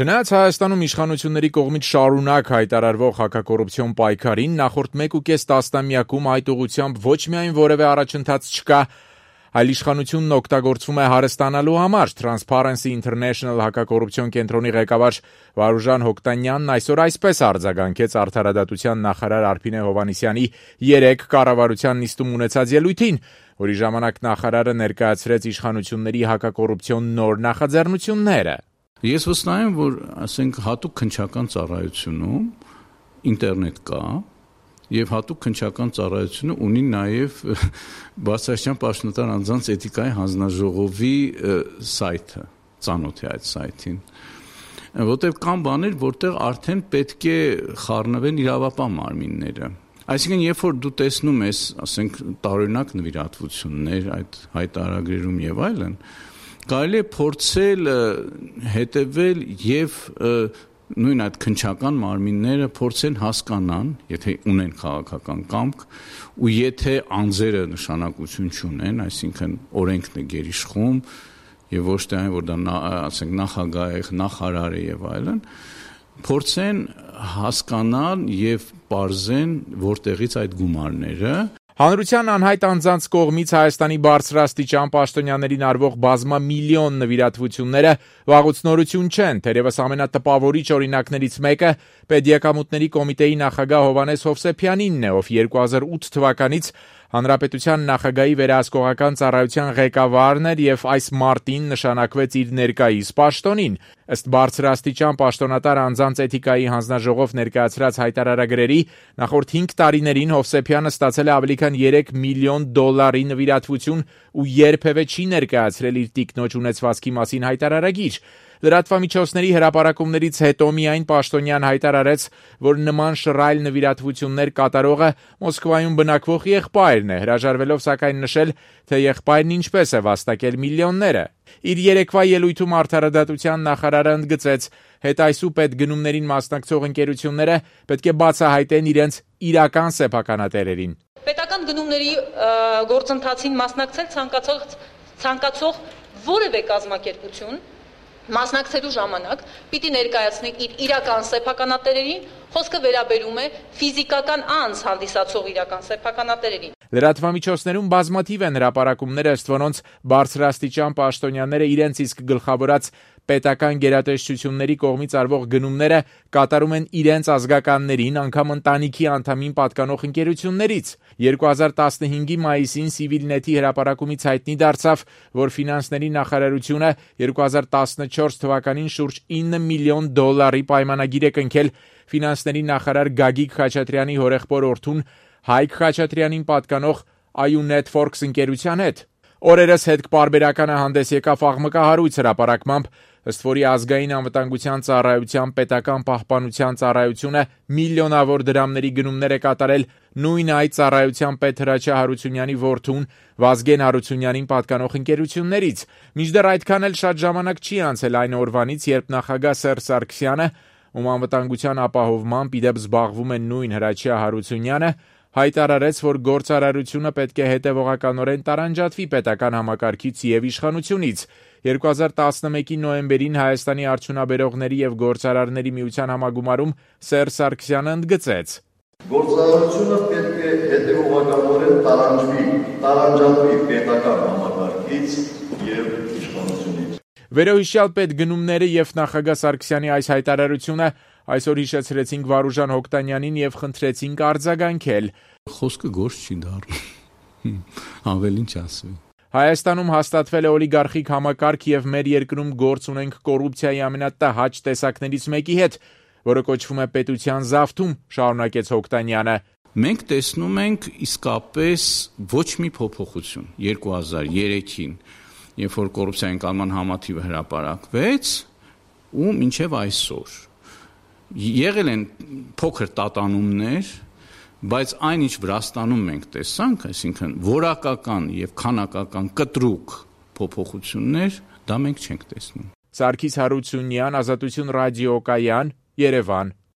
Չնայած Հայաստանում իշխանությունների կողմից շարունակ հայտարարվող հակակոռուպցիոն պայքարին նախորդ 1.5 տասնամյակում այդ ուղղությամբ ոչ միայն որևէ առաջընթաց չկա, այլ իշխանությունն օգտագործվում է հարստանալու համար։ Transparency International հակակոռուպցիոն կենտրոնի ղեկավար Վարուժան Հոկտանյանն այսօր այսպես արձագանքեց արդարադատության նախարար Արփինե Հովհաննիսյանի 3 կառավարության նիստում ունեցած ելույթին, որի ժամանակ նախարարը ներկայացրեց իշխանությունների հակակոռուպցիոն նոր նախաձեռնությունները։ Ես վստահ եմ, որ հատուկ քննչական ծառայությունում ինտերնետ կա եւ հատուկ քննչական ծառայությունը ունի նաեւ Բարձրաստիճան պաշտոնատար անձանց էթիկայի հանձնաժողովի սայթը, ծանոթ է այդ սայթին, որտեղ կան բաներ, որտեղ արդեն պետք է խառնվեն իրավապահ մարմինները։ Այսինքն, երբ որ դու տեսնում ես, տարօրինակ նվիրատվություններ այդ հայտարարագրերում եւ այլն, կարելի է փորձել հետևել եւ նույն այդ քննչական մարմինները փորձեն հասկանան, եթե ունեն քաղաքական կամք, ու եթե անձերը նշանակություն չունեն, այսինքն օրենքն է գերիշխում եւ ոչ թե այն, որ դա նախագահ է, նախարար է եւ այլն, փորձեն հասկանալ եւ պարզեն որտեղից այդ գումարները։ Հանրության անհայտ անձանց կողմից Հայաստանի բարձրաստիճան պաշտոնյաներին արվող բազմամիլիոն նվիրատվությունները վաղուց նորություն չեն, թերևս ամենատպավորիչ օրինակներից մեկը Պետդիակամուտների կոմիտեի նախագահ Հովհաննես Հովսեփյանինն է, ով 2008 թվականից Հանրապետության նախագահի վերահսկողական ծառայության ղեկավարն էր եւ այս մարտին նշանակվեց իր ներկայիս պաշտոնին։ Ըստ բարձրաստիճան պաշտոնատար անձանց էթիկայի հանձնաժողով ներկայացրած հայտարարագրերի նախորդ 5 տարիներին Հովսեփյանը ստացել է ավելի քան $3 միլիոն նվիրատվություն ու երբևէ չի ներկայացրել իր տիկնոջ ունեցվածքի մասին հայտարարագիր։ Լրատվամիջոցների հրապարակումներից հետո միայն պաշտոնյան հայտարարեց, որ նման շռայլ նվիրատվություններ կատարողը Մոսկվայում բնակվող եղբայրն է, հրաժարվելով սակայն նշել, թե եղբայրն ինչպես է վաստակել միլիոնները։ Իր երեկվա ելույթում արդարադատության նախարարը ընդգծեց, հետայսու պետգնումներին մասնակցող ընկերությունները պետք է բացահայտեն իրենց իրական սեփականատերերին։ Պետական գնումների գործընթացին մասնակցել ցանկացող որևէ կազմակերպություն մասնակցելու ժամանակ պիտի ներկայացնի իր իրական սեփականատերերին, խոսքը վերաբերում է ֆիզիկական անձ հանդիսացող իրական սեփականատերերին։ Լրատվամիջոցներում բազմաթիվ են հրապարակումները, ըստ որոնց բարձրաստիճան պաշտոնյաները իրենց իսկ գլխավորած պետական գերատեսչությունների կողմից արվող գնումները կատարում են իրենց ազգականներին, անգամ ընտանիքի անդամին պատկանող ընկերություններից։ 2015-ի մայիսին Civilnet-ի հրապարակումից հայտնի դարձավ, որ ֆինանսների նախարարությունը 2014 թվականին շուրջ $9 միլիոն պայմանագիր է կնքել ֆինանսների նախարար Գագիկ Խաչատրյանի հորեղբոր որդուն Հայկ Խաչատրյանին պատկանող IU Networks ընկերության հետ։ Օրերս հետքպարբերականը հանդես եկավ աղմկահարույց հրապարակմամբ, ըստ որի ազգային անվտանգության ծառայության պետական պահպանության ծառայությունը միլիոնավոր դրամների գնումներ է կատարել նույն այդ ծառայության պետ Հրաչյա Հարությունյանի որդուն Վազգեն Հարությունյանին պատկանող ընկերություններից։ Մինչդեռ այդքան էլ շատ ժամանակ չի անցել այն օրվանից, երբ նախագահ Սերժ Սարգսյանը, ում անվտանգության ապահովմամբ ի դեպ զբաղվում է նույն Հրաչյա Հարությունյանը, հայտարարեց, որ գործարարությունը պետք է հետևողականորեն տարանջատվի պետական համակարգից եւ իշխանությունից։ 2011-ի նոյեմբերին Հայաստանի արդյունաբերողների եւ գործարարների միության համագումարում Սերժ Սարգսյանը ընդգծեց. Գործարարությունը պետք է հետևողականորեն տարանջատվի պետական համակարգից եւ իշխանությունից։ Վերոհիշյալ պետգնումները եւ նախագահ Սարգսյանի այս հայտարարությունը այսօր հիշեցրեցինք Վարուժան Հոկտանյանին եւ խնդրեցինք արձագանքել։ Խոսքը գործ չի դառնում։ Ավելին չասվի։ Հայաստանում հաստատվել է օլիգարխիկ համակարգ եւ մեր երկրում գործ ունենք կոռուպցիայի ամենատհաճ տեսակներից մեկի հետ, որը կոչվում է պետության զավթում, շարունակեց Հոկտանյանը։ Մենք տեսնում ենք իսկապես ոչ մի փոփոխություն 2003-ին, երբ որ կոռուպցիայի ընկալման համաթիվը հրապարակվեց, ու մինչև այսօր եղել են փոքր տատանումներ, բայց այն ինչ Վրաստանում մենք տեսանք, այսինքն որակական եւ քանակական կտրուկ փոփոխություններ, դա մենք չենք տեսնում։ Սարգիս Հարությունյան, Ազատություն ռադիոկայան, Երևան։